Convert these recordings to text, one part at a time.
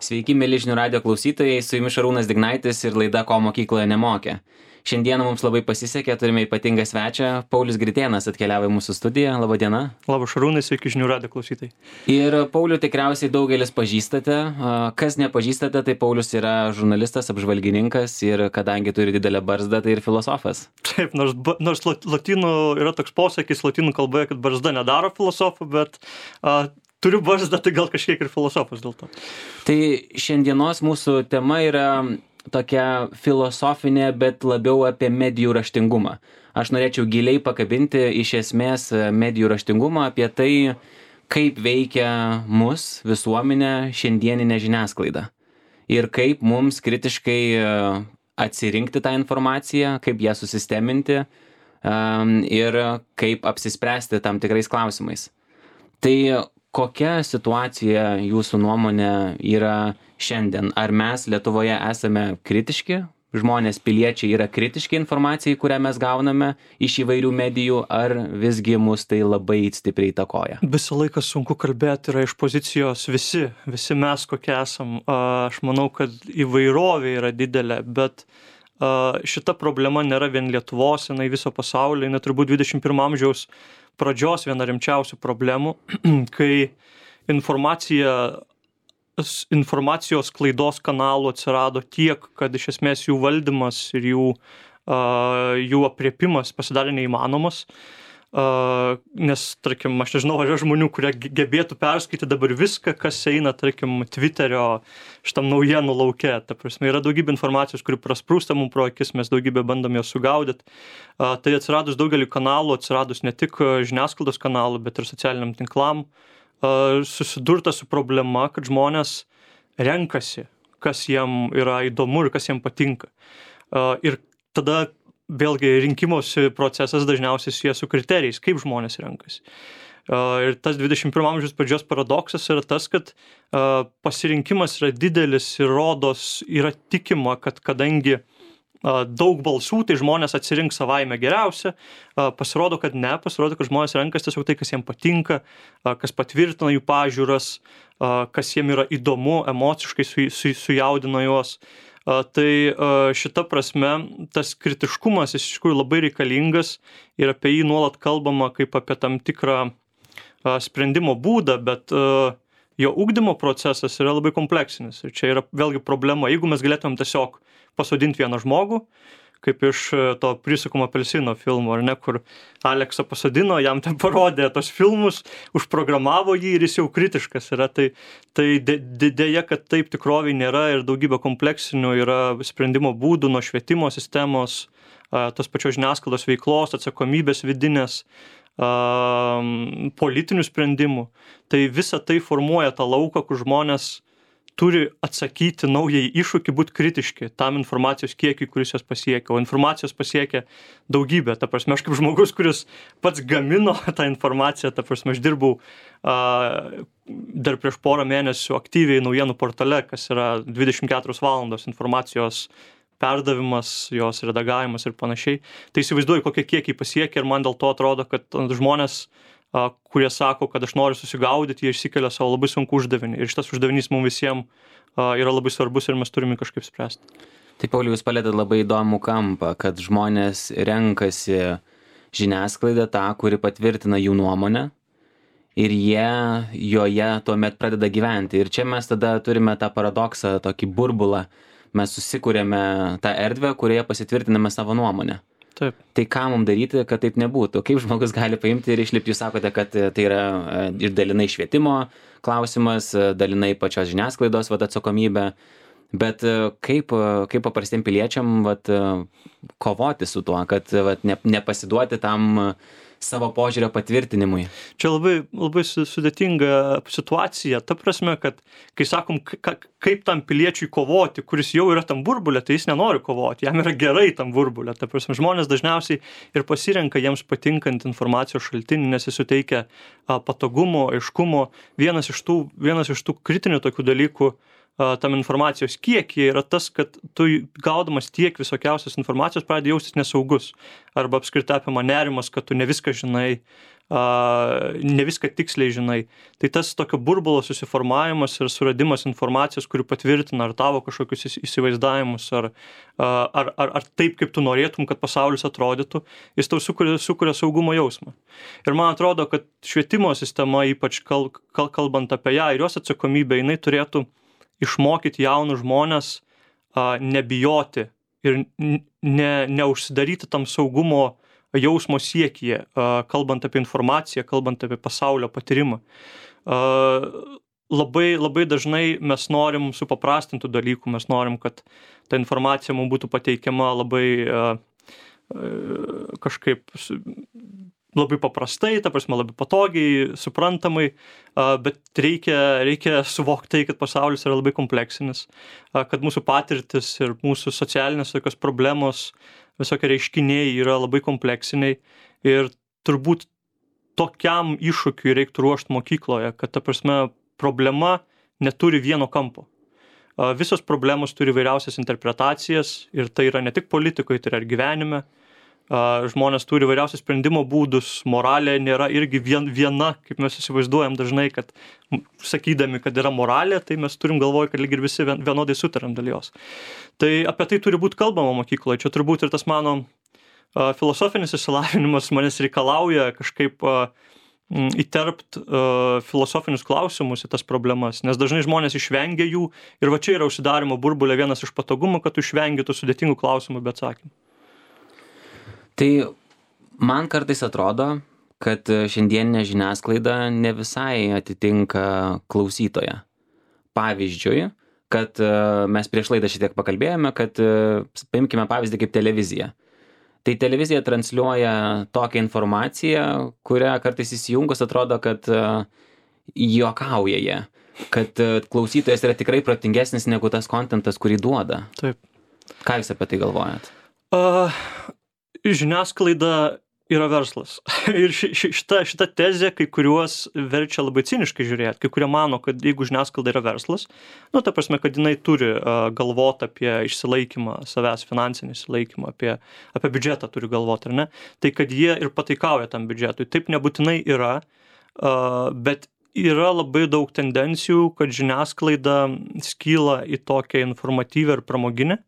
Sveiki, mėly žinių radijo klausytojai, su jumis Šarūnas Dignaitis ir laida Ko mokykloje nemokė. Šiandieną mums labai pasisekė, turime ypatingą svečią, Paulius Gritėnas atkeliavo į mūsų studiją. Labą dieną. Labas Šarūnai, sveiki žinių radijo klausytojai. Ir Paulių tikriausiai daugelis pažįstate. Kas nepažįstate, tai Paulius yra žurnalistas, apžvalgininkas ir kadangi turi didelę barzdą, tai ir filosofas. Taip, nors lotynų yra toks posakis lotynų kalboje, kad barzda nedaro filosofų, bet turiu barzdą, tai gal kažkiek ir filosofas dėl to. Tai šiandienos mūsų tema yra tokia filosofinė, bet labiau apie medijų raštingumą. Aš norėčiau giliai pakabinti iš esmės medijų raštingumą, apie tai, kaip veikia mus visuomenę šiandieninė žiniasklaida. Ir kaip mums kritiškai atsirinkti tą informaciją, kaip ją susisteminti ir kaip apsispręsti tam tikrais klausimais. Tai kokia situacija jūsų nuomonė yra šiandien? Ar mes Lietuvoje esame kritiški? Žmonės, piliečiai yra kritiški informacijai, kurią mes gauname iš įvairių medijų, ar visgi mus tai labai stipriai įtakoja? Visą laiką sunku kalbėti yra iš pozicijos visi mes kokie esam. Aš manau, kad įvairovė yra didelė, bet šita problema nėra vien Lietuvos, jinai viso pasaulio, jinai turbūt 21 amžiaus pradžios viena rimčiausių problemų, kai informacijos klaidos kanalų atsirado tiek, kad iš esmės jų valdymas ir jų aprėpimas pasidarė neįmanomas. Nes, tarkim, aš nežinau, ar yra žmonių, kurie gebėtų perskaityti dabar viską, kas eina, tarkim, Twitterio šitam naujienų lauke. Ta prasme, yra daugybė informacijos, kuri prasprūsta mums pro akis, mes daugybę bandom jos sugaudyti. Tai atsiradus daugelį kanalų, atsiradus ne tik žiniasklaidos kanalų, bet ir socialiniam tinklam, susidurta su problema, kad žmonės renkasi, kas jiem yra įdomu ir kas jiem patinka. Ir tada vėlgi rinkimosi procesas dažniausiai susijęs su kriterijais, kaip žmonės renkasi. Ir tas 21 amžiaus pradžios paradoksas yra tas, kad pasirinkimas yra didelis ir rodos yra tikima, kad kadangi daug balsų, tai žmonės atsirinks savaime geriausia. Pasirodo, kad pasirodo, kad žmonės renkasi tiesiog tai, kas jiems patinka, kas patvirtina jų pažiūras, kas jiems yra įdomu, emociškai sujaudina juos. Tai šita prasme tas kritiškumas iš tikrųjų labai reikalingas ir apie jį nuolat kalbama kaip apie tam tikrą sprendimo būdą, bet jo ugdymo procesas yra labai kompleksinis. Ir čia yra vėlgi problema. Jeigu mes galėtumėm tiesiog pasodinti vieną žmogų, kaip iš to Prisukamo apelsino filmo, ar ne, kur Aleksą pasodino, jam ten parodė tos filmus, užprogramavo jį ir jis jau kritiškas yra. Tai dėja, kad taip tikroviai nėra ir daugybė kompleksinių yra sprendimo būdų nuo švietimo sistemos, tos pačios žiniasklaidos veiklos, atsakomybės vidinės, politinių sprendimų. Tai visa tai formuoja tą lauką, kur žmonės turi atsakyti naujai iššūkį, būti kritiški tam informacijos kiekiui, kuris jos pasiekia. O informacijos pasiekia daugybę. Ta prasme, aš kaip žmogus, kuris pats gamino tą informaciją, ta prasme, aš dirbau dar prieš porą mėnesių aktyviai naujienų portale, kas yra 24 valandos informacijos perdavimas, jos redagavimas ir panašiai. Tai įsivaizduoju, kokie kiekiai pasiekia ir man dėl to atrodo, kad žmonės kurie sako, kad aš noriu susigaudyti, jie išsikelia savo labai sunku uždavinį. Ir šitas uždavinys mums visiems yra labai svarbus ir mes turime kažkaip spręsti. Tai, Pauliau, jūs palėtėt labai įdomų kampą, kad žmonės renkasi žiniasklaidą tą, kuri patvirtina jų nuomonę ir jie joje tuomet pradeda gyventi. Ir čia mes tada turime tą paradoksą, tokį burbulą. Mes susikūrėme tą erdvę, kurioje pasitvirtiname savo nuomonę. Taip. Tai ką mums daryti, kad taip nebūtų? Kaip žmogus gali paimti ir išlipti? Jūs sakote, kad tai yra ir dalinai švietimo klausimas, dalinai pačios žiniasklaidos atsakomybė, bet kaip paprastiem piliečiam kovoti su tuo, kad nepasiduoti tam savo požiūrio patvirtinimui? Čia labai sudėtinga situacija. Ta prasme, kad kai sakom, kaip tam piliečiui kovoti, kuris jau yra tam burbulė, tai jis nenori kovoti. Jam yra gerai tam burbulė. Ta prasme, žmonės dažniausiai ir pasirenka jiems patinkant informacijos šaltinį, nes jis suteikia patogumo, aiškumo. Vienas iš tų kritinių tokių dalykų tam informacijos kiekyje yra tas, kad tu gaudamas tiek visokiausios informacijos pradedi jaustis nesaugus. Arba apskritai apima nerimas, kad tu ne viską žinai, ne viską tiksliai žinai. Tai tas tokio burbulo susiformavimas ir suradimas informacijos, kuri patvirtina ar tavo kažkokius įsivaizdavimus, ar taip, kaip tu norėtum, kad pasaulis atrodytų, jis tau sukuria saugumo jausmą. Ir man atrodo, kad švietimo sistema, ypač kalbant apie ją ir jos atsakomybę, jinai turėtų išmokyti jaunus žmonės nebijoti ir neužsidaryti tam saugumo jausmo siekyje, kalbant apie informaciją, kalbant apie pasaulio patyrimą. Labai dažnai mes norim supaprastintų dalykų, mes norim, kad ta informacija mums būtų pateikiama labai kažkaip labai paprastai, ta prasme labai patogiai, suprantamai, bet reikia suvokti tai, kad pasaulis yra labai kompleksinis, kad mūsų patirtis ir mūsų socialinės tokios problemos, visokie reiškiniai yra labai kompleksiniai ir turbūt tokiam iššūkiui reiktų ruošti mokykloje, kad ta prasme problema neturi vieno kampo. Visos problemos turi vairiausias interpretacijas ir tai yra ne tik politikoje, tai yra ir gyvenime. Žmonės turi vairiausius sprendimo būdus, moralė nėra irgi viena, kaip mes įsivaizduojam dažnai, kad sakydami, kad yra moralė, tai mes turim galvoj, kad lyg ir visi vienodai sutariam dėl jos. Tai apie tai turi būti kalbama mokykloje. Čia turbūt ir tas mano filosofinis išsilavinimas manęs reikalauja kažkaip įterpt filosofinius klausimus į tas problemas, nes dažnai žmonės išvengia jų ir va čia yra užsidarimo burbulė vienas iš patogumų, kad tu išvengi tų sudėtingų klausimų be atsakymų. Tai man kartais atrodo, kad šiandieninė žiniasklaida ne visai atitinka klausytoją. Pavyzdžiui, kad mes prieš laidą šitiek pakalbėjome, kad paimkime pavyzdį kaip televizija. Tai televizija transliuoja tokią informaciją, kurią kartais įsijungus atrodo, kad juokauja jie, kad klausytojas yra tikrai protingesnis negu tas kontentas, kurį duoda. Taip. Ką jūs apie tai galvojat? Žiniasklaida yra verslas. Ir šita tezė kai kuriuos verčia labai ciniškai žiūrėti. Kai kurie mano, kad jeigu žiniasklaida yra verslas, ta prasme, kad jinai turi galvoti apie išsilaikymą savęs, finansinį išsilaikymą, apie biudžetą turi galvoti, ar ne? Tai kad jie ir pataikauja tam biudžetui. Taip nebūtinai yra, bet yra labai daug tendencijų, kad žiniasklaida skyla į tokią informatyvę ir pramoginę.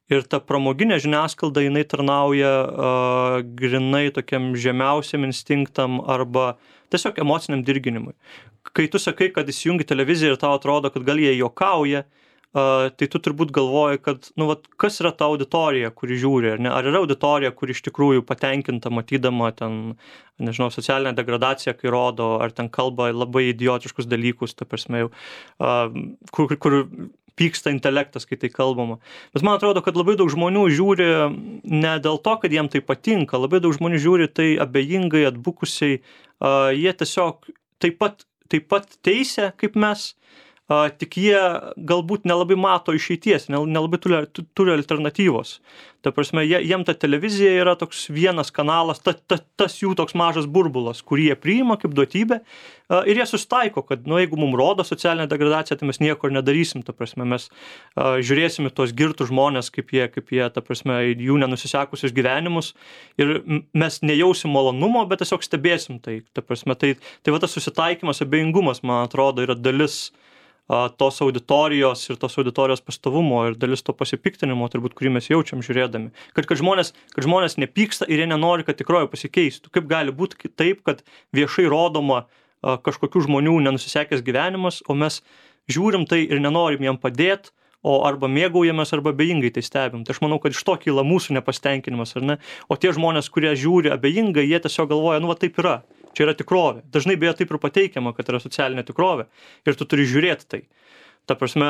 Ir ta pramoginė žiniasklaida, jinai tarnauja grinai tokiam žemiausiam instinktam arba tiesiog emociniam dirginimui. Kai tu sakai, kad įsijungi televiziją ir tau atrodo, kad gal jie juokauja, tai tu turbūt galvoji, kad kas yra ta auditorija, kuri žiūri, ar ne? Ar yra auditorija, kuri iš tikrųjų patenkinta matydama ten, nežinau, socialinę degradaciją, kai rodo, ar ten kalba labai idiotiškus dalykus, ta prasme, kur pyksta intelektas, kai tai kalbama. Bet man atrodo, kad labai daug žmonių žiūri ne dėl to, kad jiem tai patinka, labai daug žmonių žiūri tai abejingai, atbukusiai, jie tiesiog taip pat teisia, kaip mes, tik jie galbūt nelabai mato išeities, nelabai turi alternatyvos. Ta prasme, jiem ta televizija yra toks vienas kanalas, tas jų toks mažas burbulas, kurį jie priima kaip duotybę ir jie susitaiko, kad jeigu mums rodo socialinę degradaciją, tai mes nieko ir nedarysim, ta prasme, mes žiūrėsime tuos girtus žmonės, kaip jie, ta prasme, jų nenusisekusius gyvenimus ir mes nejausim malonumo, bet tiesiog stebėsim tai, ta prasme, tai va tas susitaikymas, abejingumas, man atrodo, yra dalis tos auditorijos ir tos auditorijos pastovumo ir dalis to pasipiktinimo, turbūt, kurį mes jaučiam žiūrėdami. Kad žmonės nepyksta ir jie nenori, kad tikroji pasikeistų. Kaip gali būti taip, kad viešai rodoma kažkokių žmonių nenusisekęs gyvenimas, o mes žiūrim tai ir nenorim jiem padėti, o arba mėgaujamės, arba abejingai tai stebim. Tai aš manau, kad iš to kyla mūsų nepasitenkinimas, ar ne? O tie žmonės, kurie žiūri abejingai, jie tiesiog galvoja, va taip yra. Čia yra tikrovė. Dažnai beje taip ir pateikiama, kad yra socialinė tikrovė ir tu turi žiūrėti tai. Ta prasme,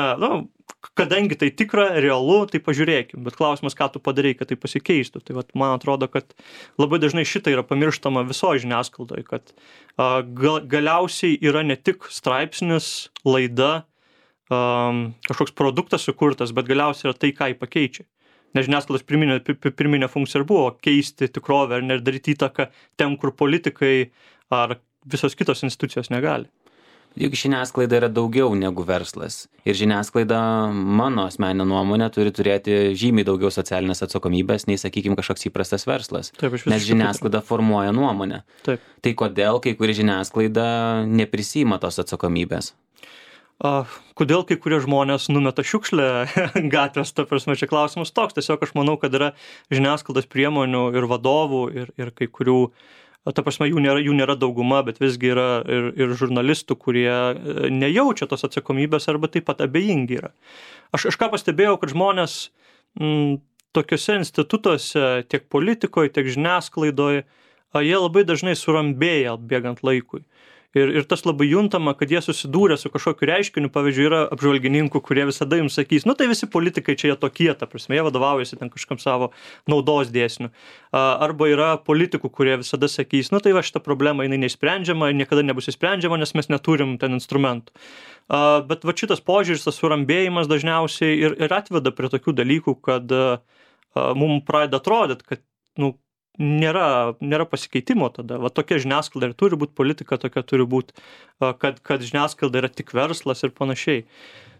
kadangi tai tikra, realu, tai pažiūrėkim. Bet klausimas, ką tu padarai, kad tai pasikeistų. Tai vat, man atrodo, kad labai dažnai šitai yra pamirštama visoje žiniasklaidoje, kad galiausiai yra ne tik straipsnis, laida, kažkoks produktas sukurtas, bet galiausiai yra tai, ką jį pakeičia. Nes žiniasklaidos pirminė funkcija ir buvo keisti tikrovę ir daryti įtaką ten, kur politikai ar visos kitos institucijos negali. Juk žiniasklaida yra daugiau negu verslas. Ir žiniasklaida, mano asmeninė nuomonė, turi turėti žymiai daugiau socialinės atsakomybės, nei, sakykime, kažkoks įprastas verslas. Taip, nes žiniasklaida formuoja nuomonę. Taip. Tai kodėl kai kuri žiniasklaida neprisima tos atsakomybės? Kodėl kai kurie žmonės numeta šiukšlę gatvės, ta prasme, čia klausimas toks. Tiesiog aš manau, kad yra žiniasklaidos priemonių ir vadovų ir kai kurių, ta prasme, jų nėra dauguma, bet visgi yra ir žurnalistų, kurie nejaučia tos atsakomybės arba taip pat abejingi yra. Aš ką pastebėjau, kad žmonės tokiuose institutuose, tiek politikoje, tiek žiniasklaidoje, jie labai dažnai surambėja bėgant laikui. Ir tas labai juntama, kad jie susidūrė su kažkokiu reiškiniu, pavyzdžiui, yra apžvalgininkų, kurie visada jums sakys, tai visi politikai čia jie tokie, ta prasme, jie vadovaujasi ten kažkam savo naudos dėsniu. Arba yra politikų, kurie visada sakys, tai va šita problema, jinai neišsprendžiama, niekada nebus išsprendžiama, nes mes neturim ten instrumentų. Bet va šitas požiūris, tas surambėjimas dažniausiai ir atveda prie tokių dalykų, kad mums pradeda atrodyti, kad, nėra pasikeitimo tada. Va tokia žiniasklaida ir turi būti politika, tokia turi būti, kad žiniasklaida yra tik verslas ir panašiai.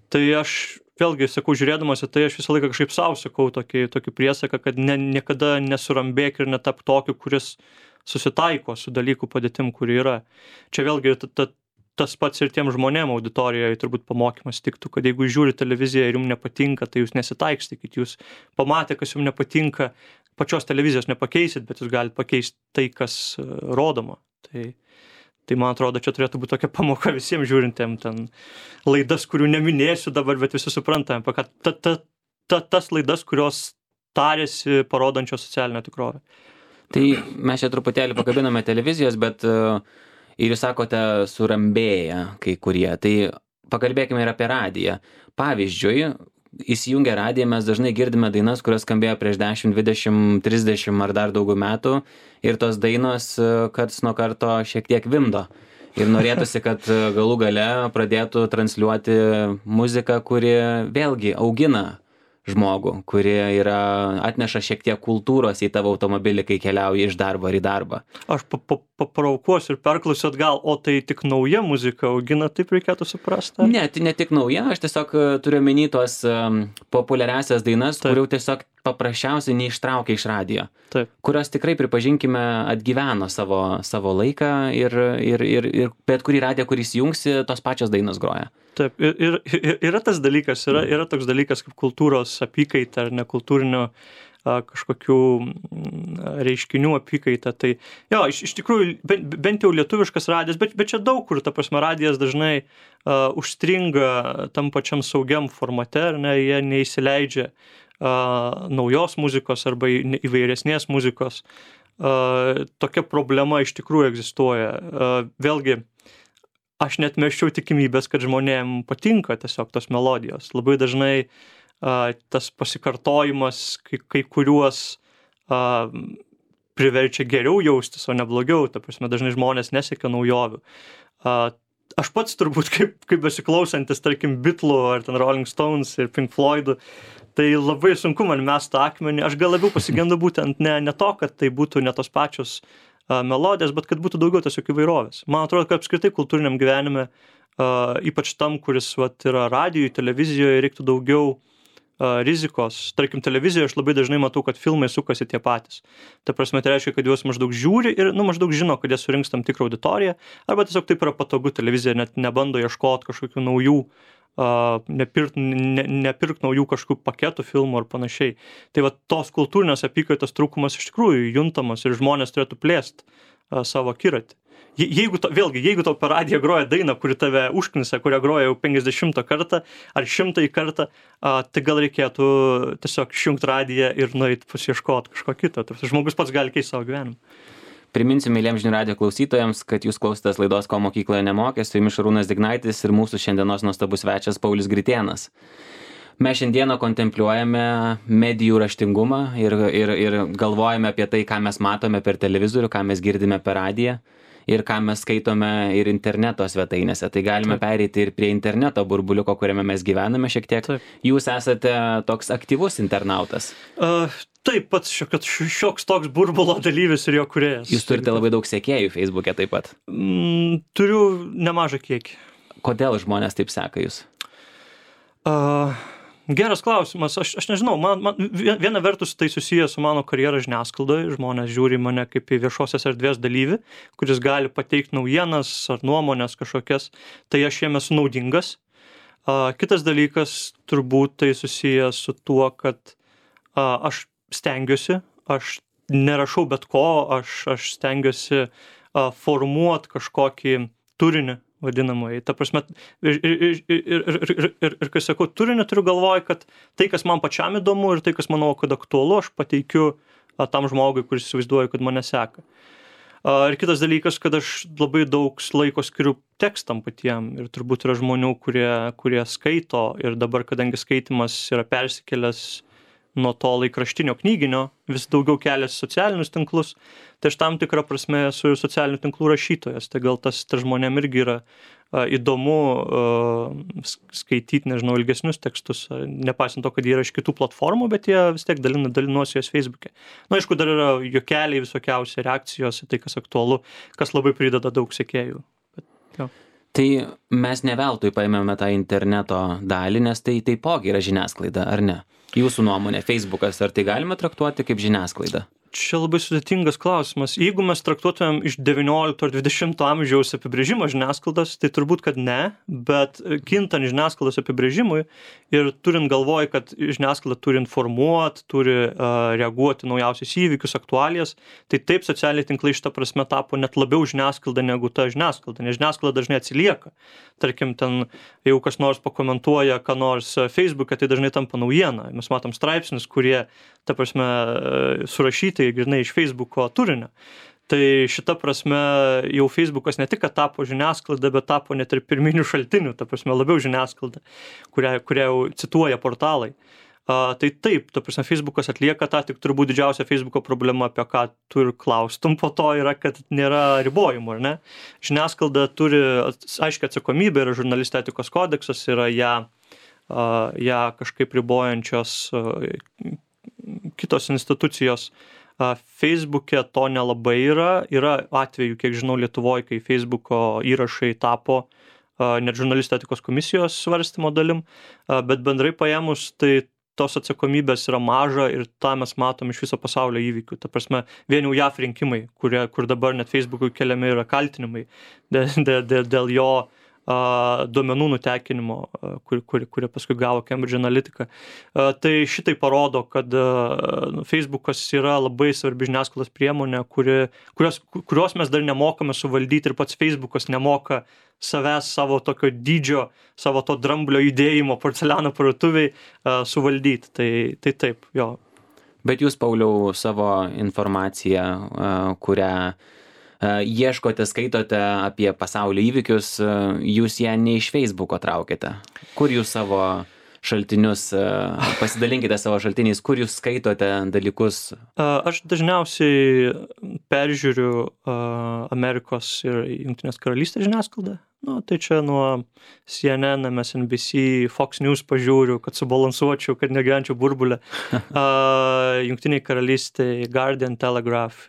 Tai aš vėlgi sakau, žiūrėdamas į tai, aš visą laiką kažkaip savo sakau tokį priesaką, kad niekada nesurambėk ir netap tokiu, kuris susitaiko su dalykų padėtim, kuri yra. Čia vėlgi tas pats ir tiem žmonėm auditorijoje turbūt pamokymas tiktų, kad jeigu žiūri televiziją ir jums nepatinka, tai jūs nesitaikstykit, jūs pamatė, kas jums nepatinka, pačios televizijos nepakeisit, bet jūs galite pakeisti tai, kas rodoma. Tai man atrodo, čia turėtų būti tokia pamoka visiems žiūrintiem ten laidas, kurių neminėsiu dabar, bet visi suprantame, kad tas laidas, kurios tarėsi parodančios socialinę tikrovę. Tai mes čia truputėlį pakabiname televizijos, bet ir jūs sakote surambėję kai kurie. Tai pakalbėkime ir apie radiją. Pavyzdžiui, įsijungę radiją mes dažnai girdime dainas, kurios skambėjo prieš 10, 20, 30 ar dar daugiau metų ir tos dainos karts nuo karto šiek tiek vimdo. Ir norėtųsi, kad galų gale pradėtų transliuoti muziką, kuri vėlgi augina žmogų, kurie atneša šiek tiek kultūros į tavo automobilį, kai keliauji iš darbo ar į darbą. Aš paprovokuosiu ir perklausiu atgal, o tai tik nauja muzika augina, taip reikėtų suprasti? Ne, tai ne tik nauja, aš tiesiog turiu omeny tos populiariasias dainas, kurių tiesiog paprasčiausiai neištraukia iš radijo. Taip. Kurios tikrai, pripažinkime, atgyveno savo laiką ir bet kurį radiją, kurį įsijungsi, tos pačios dainos groja. Taip, ir yra tas dalykas, yra toks dalykas kaip kultūros apykaita ar nekultūrinio kažkokių reiškinių apykaita. Tai jo, iš tikrųjų, bent jau lietuviškas radijas, bet čia daug kur, ta prasme, radijas dažnai užstringa tam pačiam saugiam formate, ar ne, jie neįsileidžia naujos muzikos arba įvairesnės muzikos. Tokia problema iš tikrųjų egzistuoja. Vėlgi, aš net mesčiau tikimybės, kad žmonėm patinka tiesiog tos melodijos. Labai dažnai tas pasikartojimas kai kuriuos priverčia geriau jaustis, o ne blogiau. Ta prasme, dažnai žmonės nesiekia naujovių. Aš pats turbūt kaip besiklausantis, tarkim, Beatlų ar ten Rolling Stones ir Pink Floydų, tai labai sunku man mesti akmenį. Aš gal labiau pasigendu būtent ne to, kad tai būtų ne tos pačios melodijas, bet kad būtų daugiau tiesiog įvairovės. Man atrodo, kad apskritai kultūriniam gyvenime, ypač tam, kuris yra radijoje, televizijoje, reiktų daugiau rizikos. Tarkim, televizijoje aš labai dažnai matau, kad filmai sukasi tie patys. Tai prasme, tai reiškia, kad juos maždaug žiūri ir maždaug žino, kad jie surinks tam tikrą auditoriją, arba tiesiog taip yra patogu, televizija net nebando ieškoti kažkokių naujų, nepirkt naujų kažkokių paketų filmų ar panašiai. Tai va, tos kultūrinės apykaitos trūkumas iš tikrųjų juntamas ir žmonės turėtų plėsti savo akiratį. Jeigu tau per radiją groja daina, kuri tave užknisa, kurią groja jau 50 kartą ar 100 kartą, tai gal reikėtų tiesiog išjungti radiją ir nueiti pasiieškoti kažko kito. Žmogus pats gali keisti savo gyvenimą. Priminsiu myliems žinių radijo klausytojams, kad jūs klausotės laidos Ko mokykloje nemokė, su jumis Šarūnas Dignaitis ir mūsų šiandienos nuostabus svečias Paulius Gritėnas. Mes šiandieną kontempliuojame medijų raštingumą ir galvojame apie tai, ką mes matome per televizorių, ką mes girdime per radiją ir ką mes skaitome ir interneto svetainėse. Tai galime pereiti ir prie interneto burbuliuko, kuriame mes gyvename šiek tiek. Taip. Jūs esate toks aktyvus internautas. Taip, pats šioks toks burbulo dalyvis ir jo kūrėjas. Jūs turite labai daug sekėjų Facebook'e taip pat. Turiu nemažą kiekį. kodėl žmonės taip seka jūs? Geras klausimas. Aš nežinau, man viena vertus tai susijęs su mano karjera žiniasklaidoje. Žmonės žiūri mane kaip į viešosios erdvės dalyvį, kuris gali pateikti naujienas ar nuomonės kažkokias. Tai aš jiem esu naudingas. Kitas dalykas turbūt tai susijęs su tuo, kad aš stengiuosi, aš nerašau bet ko, aš stengiuosi formuoti kažkokį turinį vadinamai. Ta prasme, ir kai sakau turinį, turiu galvoj, kad tai, kas man pačiam įdomu ir tai, kas manau, kad aktualu, aš pateikiu tam žmogui, kuris įsivaizduoja, kad mane seka. Ir kitas dalykas, kad aš labai daug laiko skiriu tekstam patiem ir turbūt yra žmonių, kurie skaito ir dabar, kadangi skaitimas yra persikėlęs nuo to laikraštinio knyginio, vis daugiau keliasi socialinius tinklus, tai aš tam tikrą prasme esu socialinių tinklų rašytojas, tai gal tas žmonėm irgi yra įdomu skaityti, nežinau, ilgesnius tekstus, nepaisant to, kad jie yra iš kitų platformų, bet jie vis tiek dalinuosi jos Facebook'e. Na, aišku, dar yra juokeliai, visokiausi reakcijos į tai, kas aktualu, kas labai prideda daug sekėjų. Tai mes ne veltui paėmėme tą interneto dalį, nes tai taipogi yra žiniasklaida, ar ne? Jūsų nuomonė, Facebookas, ar tai galime traktuoti kaip žiniasklaidą? Čia labai sudėtingas klausimas. Jeigu mes traktuotumėm iš 19 ar 20 amžiaus apibrėžimo žiniasklaidos, tai turbūt, kad ne, bet kintant žiniasklaidos apibrėžimui ir turint galvoj, kad žiniasklaida turi informuoti, turi reaguoti naujausius įvykius, aktualijas, tai taip socialiniai tinklai šitą prasme tapo net labiau žiniasklaida negu ta žiniasklaida, nes žiniasklaida dažnai atsilieka. Tarkim, ten, jeigu kas nors pakomentuoja, ką nors Facebook'e, tai dažnai tampa naujiena. Mes matom straipsnius, kurie, ta prasme, surašyti grynai iš Facebooko turinio. Tai šita prasme jau Facebookas ne tik, kad tapo žiniasklaida, bet tapo net ir pirminių šaltinių, ta prasme labiau žiniasklaida, kurią jau cituoja portalai. Tai taip, ta prasme Facebookas atlieka tą, tik turbūt didžiausia Facebooko problema, apie ką tu ir klaustum po to, yra, kad nėra ribojimų, ar ne? Žiniasklaida turi aiškią atsakomybę, yra žurnalistų etikos kodeksas, yra ją kažkaip ribojančios kitos institucijos. Facebook'e to nelabai yra atvejų, kiek žinau, Lietuvoje, kai Facebooko įrašai tapo net žurnalistų etikos komisijos svarstymo dalim, bet bendrai paėmus, tai tos atsakomybės yra maža ir tą mes matom iš viso pasaulio įvykių. Ta prasme, vien jau JAV rinkimai, kur dabar net Facebook'ui keliami yra kaltinimai dėl jo duomenų nutekinimo, kurie paskui gavo Cambridge Analytica. Tai šitai parodo, kad Facebookas yra labai svarbi žiniasklaidos priemonė, kurios mes dar nemokame suvaldyti ir pats Facebookas nemoka savęs, savo tokio dydžio, savo to dramblio judėjimo porceliano parduotuviai suvaldyti. Tai taip, jo. Bet jūs, Pauliau, savo informaciją, kurią ieškote, skaitote apie pasaulio įvykius, jūs ją ne iš Facebooko traukite. Kur jūs savo šaltinius, pasidalinkite savo šaltiniais, kur jūs skaitote dalykus? Aš dažniausiai peržiūriu Amerikos ir Jungtinės karalystės žiniasklaidą. Nu, tai čia nuo CNN, MSNBC, Fox News pažiūriu, kad subalansuočiau, kad negyvenčiau burbulę. Jungtiniai karalystė, Guardian, Telegraph,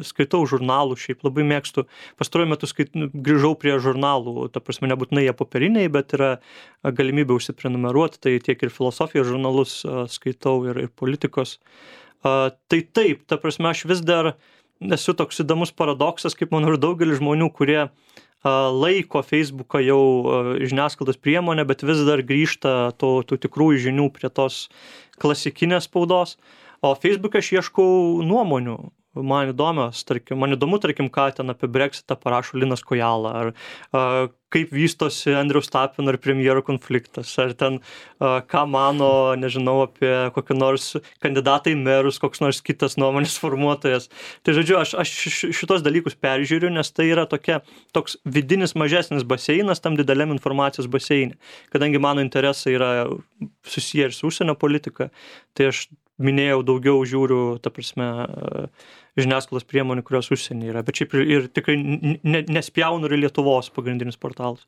skaitau žurnalų, šiaip labai mėgstu. Pastaruoju metu grįžau prie žurnalų, ta prasme nebūtinai jie popieriniai, bet yra galimybė užsiprenumeruoti, tai tiek ir filosofijos žurnalus skaitau ir politikos. Tai taip, ta prasme aš vis dar esu toks įdomus paradoksas, kaip manau ir daugelis žmonių, kurie laiko Facebooką jau žiniasklaidos priemonę, bet vis dar grįžta tų tikrųjų žinių prie tos klasikinės spaudos. O Facebook'e aš ieškau nuomonių. Man įdomu, ką ten apie Brexitą parašo Linas Kojala, ar kaip vystosi Andriaus Tapino ir premjero konfliktas, ar ten ką mano, nežinau, apie kokį nors kandidatą į merus, koks nors kitas nuomonės formuotojas. Tai žodžiu, aš šitos dalykus peržiūriu, nes tai yra toks vidinis mažesnis baseinas tam dideliam informacijos baseinė. Kadangi mano interesai yra susiję ir su užsienio politika, tai aš minėjau, daugiau žiūriu, ta prasme, žiniasklaidos priemonių, kurios užsienį yra, bet šiaip ir tikrai nespjaunu ir Lietuvos pagrindinius portalus.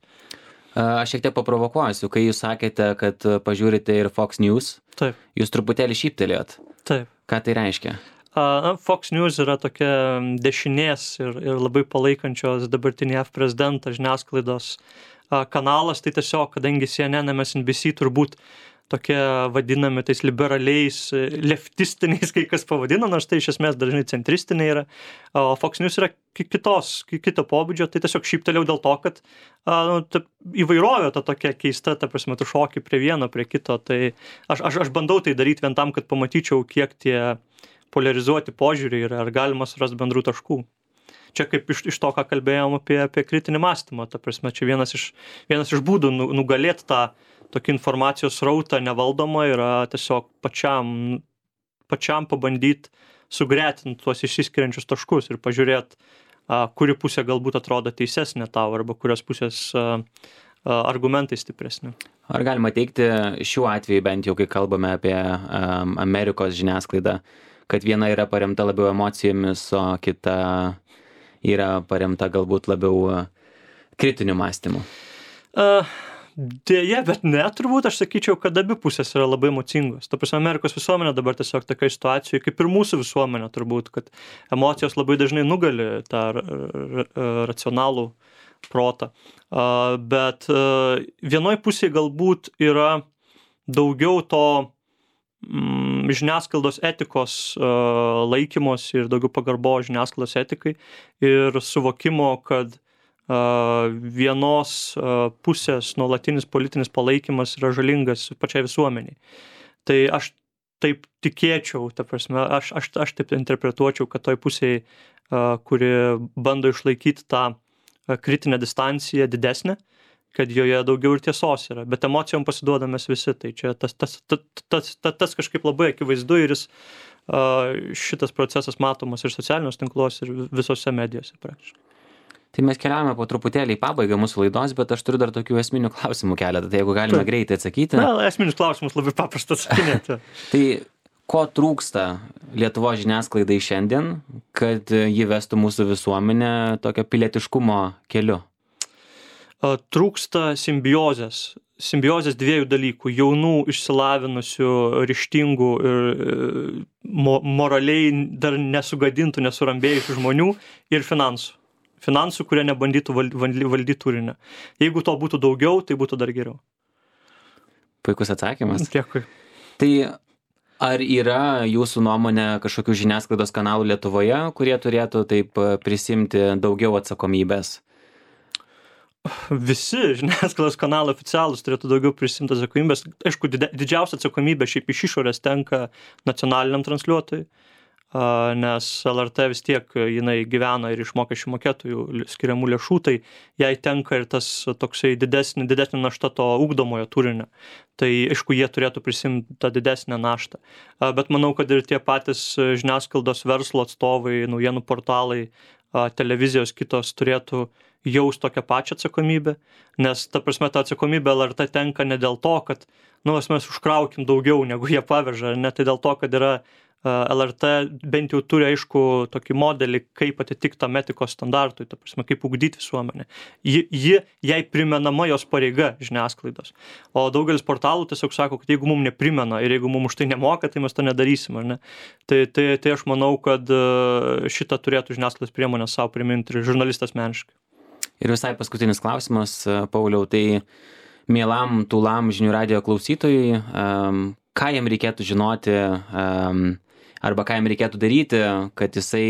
Aš šiek tiek paprovokuosiu, kai jūs sakėte, kad pažiūrite ir Fox News, Taip. Jūs truputėlį šyptelėjot. Taip. Ką tai reiškia? Fox News yra tokia dešinės ir labai palaikančios dabartinį JAV prezidentą žiniasklaidos kanalas, tai tiesiog, kadangi CNN, MSNBC turbūt tokie vadinami tais liberaliais, leftistiniais, kai kas pavadina, nors tai iš esmės dažnai centristiniai yra. O Fox News yra kito pobūdžio, tai tiesiog šyptelėjau dėl to, kad įvairovė ta tokia keista, ta prasme, tu šoki prie vieno, prie kito, tai aš bandau tai daryti vien tam, kad pamatyčiau, kiek tie polarizuoti požiūriai yra, ar galima surasti bendrų taškų. Čia kaip iš to, ką kalbėjom apie kritinį mąstymą, ta prasme, čia vienas iš būdų nugalėti tą tokį informacijos srautą nevaldomą yra tiesiog pačiam pabandyti sugretinti tuos išsiskiriančius taškus ir pažiūrėti, kuri pusė galbūt atrodo teisesnė tau arba kurios pusės argumentai stipresni. Ar galima teigti šiuo atveju, bent jau kai kalbame apie Amerikos žiniasklaidą, kad viena yra paremta labiau emocijomis, o kita yra paremta galbūt labiau kritiniu mąstymu? Dėja, bet ne, turbūt aš sakyčiau, kad abi pusės yra labai emocingos. Ta prasme, Amerikos visuomenė dabar tiesiog tokia situacija, kaip ir mūsų visuomenė turbūt, kad emocijos labai dažnai nugali tą racionalų protą. Bet vienoj pusėje galbūt yra daugiau to žiniasklaidos etikos laikymos ir daugiau pagarbo žiniasklaidos etikai ir suvokimo, kad vienos pusės nuolatinis politinis palaikymas yra žalingas pačiai visuomeniai. Tai aš taip tikėčiau, ta prasme, aš taip interpretuočiau, kad toj pusėje, kuri bando išlaikyti tą kritinę distanciją didesnę, kad joje daugiau ir tiesos yra, bet emocijom pasiduodamės visi, tai čia tas kažkaip labai akivaizdu ir šitas procesas matomas ir socialiniuose tinkluose ir visose medijose praktiškai. Tai mes keliavome po truputėlį į pabaigą mūsų laidos, bet aš turiu dar tokių esminių klausimų keletą, tai jeigu galime greitai atsakyti. Na, esminius klausimus labai paprasta atsakinėti. Tai ko trūksta Lietuvos žiniasklaidai šiandien, kad ji vestų mūsų visuomenę tokio pilietiškumo keliu? Trūksta simbiozės dviejų dalykų – jaunų, išsilavinusių, ryžtingų ir moraliai dar nesugadintų, nesurambėjusių žmonių ir finansų, kurie nebandytų valdyti turinį. Jeigu to būtų daugiau, tai būtų dar geriau. Puikus atsakymas. Dėkui. Tai ar yra jūsų nuomonė kažkokių žiniasklaidos kanalų Lietuvoje, kurie turėtų taip prisimti daugiau atsakomybės? Visi žiniasklaidos kanalai oficialūs turėtų daugiau prisimti atsakomybės. Aišku, didžiausia atsakomybė šiaip iš išorės tenka nacionaliniam transliuotojui, nes LRT vis tiek jinai gyvena ir iš mokesčių mokėtojų skiriamų lėšų, tai jai tenka ir tas toksai didesnė našta to ugdomojo turinio. Tai aišku, jie turėtų prisimti tą didesnę naštą. Bet manau, kad ir tie patys žiniasklaidos verslo atstovai, naujienų portalai, televizijos kitos turėtų jaus tokią pačią atsakomybę, nes ta prasme ta atsakomybė LRT tenka ne dėl to, kad mes užkraukim daugiau negu jie paveža, ne tai dėl to, kad yra LRT bent jau turi aišku tokį modelį, kaip atitikti tam etikos standartui, ta prasme, kaip ugdyti visuomenę. Jai primenama jos pareiga žiniasklaidos. O daugelis portalų tiesiog sako, kad jeigu mums neprimena ir jeigu mums už tai nemoka, tai mes to nedarysim, ar ne? Tai aš manau, kad šitą turėtų žiniasklaidos priemonę savo priminti ir žurnalistas asmeniškai. Ir visai paskutinis klausimas, Pauliau, tai mielam tūlam žinių radijo klausytojui, ką jam reikėtų žinoti arba ką jam reikėtų daryti, kad jisai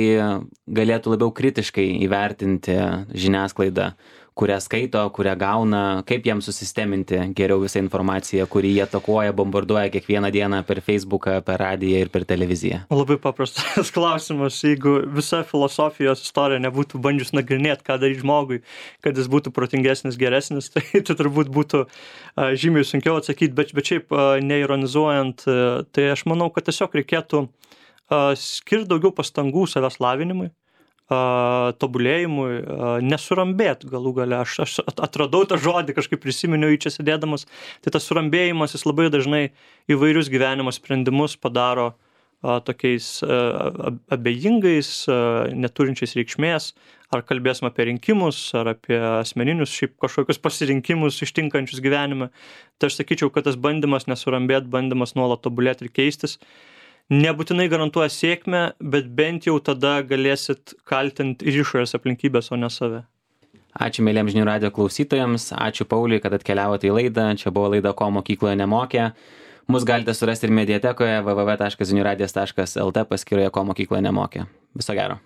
galėtų labiau kritiškai įvertinti žiniasklaidą, kurią skaito, kurią gauna, kaip jam susisteminti geriau visą informaciją, kurį jie atakuoja, bombarduoja kiekvieną dieną per Facebooką, per radiją ir per televiziją. Labai paprastas klausimas, jeigu visa filosofijos istorija nebūtų bandžius nagrinėti, ką daryti žmogui, kad jis būtų protingesnis, geresnis, tai turbūt būtų žymiai sunkiau atsakyti, bet šiaip neironizuojant, tai aš manau, kad tiesiog reikėtų skirti daugiau pastangų savęs lavinimui, tobulėjimui, nesurambėt galų gale. Aš atradau tą žodį, kažkaip prisiminiau jį čia sėdėdamas. Tai tas surambėjimas, jis labai dažnai įvairius gyvenimo sprendimus padaro tokiais abejingais, neturinčiais reikšmės. Ar kalbėsim apie rinkimus, ar apie asmeninius šiaip kažkokius pasirinkimus ištinkančius gyvenime. Tai aš sakyčiau, kad tas bandymas nesurambėt, bandymas nuolat tobulėti ir keistis, nebūtinai garantuoja sėkmę, bet bent jau tada galėsit kaltinti ir išorės aplinkybės, o ne save. Ačiū mėlyms žinių radijo klausytojams, ačiū Pauliui, kad atkeliavote į laidą. Čia buvo laida Ko mokykloje nemokė. Mus galite surasti ir mediatekoje www.ziniuradijas.lt paskyroje Ko mokykloje nemokė. Viso gero.